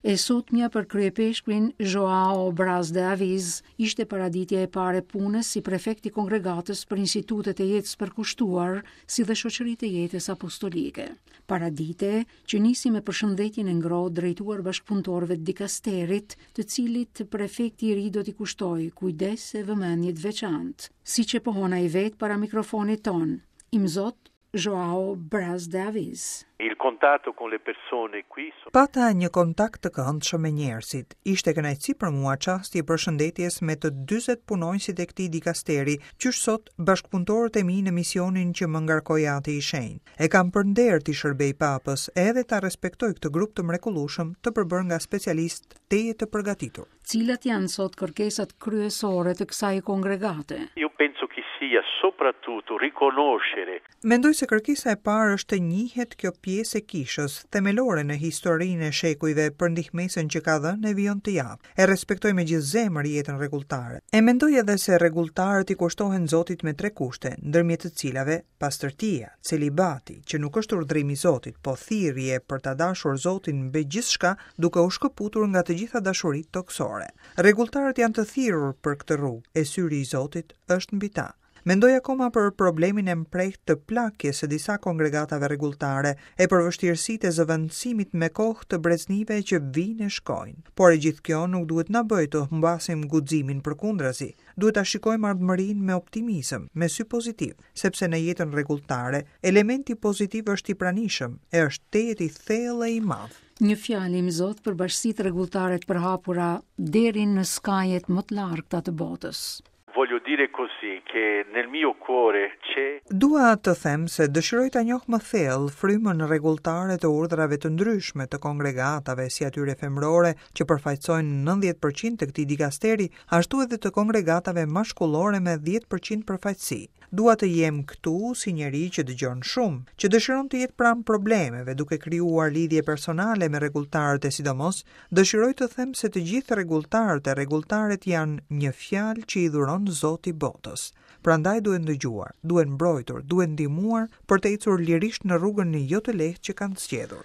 E sotmja për kryeipeshkvin Joao Braz de Aviz ishte paraditja e parë e punës si prefekt i Kongregatës për Institutet e Jetës së Përkushtuar, si dhe Shoqëritë e Jetës Apostolike. Paradite që nisi me përshëndetjen e ngrohtë drejtuar bashkëpunëtorëve të dikasterit, të cilit prefekti i ri do t'i kushtojë kujdes e vëmendje të veçantë, siç e pohon ai vetë para mikrofonit tonë. Imzot Joao Braz de Aviz. Il contatto con le persone qui so. Pata një kontakt të këndshëm me njerëzit. Ishte kënaqësi për mua çasti i përshëndetjes me të 40 punonjësit e këtij dikasteri, qysh sot bashkëpunëtorët e mi në misionin që më ngarkoi Ati i Shenjtë. E kam për nder t'i shërbej Papës edhe ta respektoj këtë grup të mrekullueshëm të përbërë nga specialistë tejet të përgatitur. Cilat janë sot kërkesat kryesore të kësaj kongregate? Io penso che sia soprattutto riconoscere. Mendoj se kërkesa e parë është të njihet kjo pjesë e Kishës, themelore në historinë e shekujve për ndihmesën që ka dhënë e vijon të japë. E respektoj me gjithë zemër jetën rregulltare. E mendoj edhe se rregulltarët i kushtohen Zotit me tre kushte, ndërmjet të cilave Pastërtia, celibati, që nuk është urdhrim i Zotit, po thirrje për ta dashur Zotin mbi gjithçka, duke u shkëputur nga të gjitha dashuritë tokësore. Rregulltarët janë të thirrur për këtë rrugë, e syri i Zotit është mbi ta. Mendoj akoma për problemin e mprehtë të plakjes së disa kongregatave rregulltare e për vështirësitë e zëvendësimit me kohë të breznive që vijnë e shkojnë. Por e gjithë kjo nuk duhet na bëjë të humbasim guximin përkundrazi. Duhet ta shikojmë ardhmërinë me optimizëm, me sy pozitiv, sepse në jetën rregulltare, elementi pozitiv është i pranishëm e është tejet i thellë e i madh. Një fjalë Imzot për bashkësitë rregulltare të përhapura deri në skajet më të largëta të botës. Voglio dire così che nel mio cuore c'è. Dua të them se dëshiroj ta njoh më thellë frymën rregulltare të urdhrave të ndryshme të kongregatave, si atyre femërore që përfaqësojnë 90 për qind të këtij dikasteri, ashtu edhe të kongregatave mashkullore me 10 për qind përfaqësi. Dua të jem këtu si njeri që dëgjon shumë, që dëshiron të jetë pranë problemeve, duke krijuar lidhje personale me rregulltarët e sidomos, dëshiroj të them se të gjithë rregulltarët e rregulltaret janë një fjalë që i dhuron Zoti botës. Prandaj duhen dëgjuar, duhen mbrojtur, duhen ndihmuar për të ecur lirisht në rrugën jo të lehtë që kanë zgjedhur.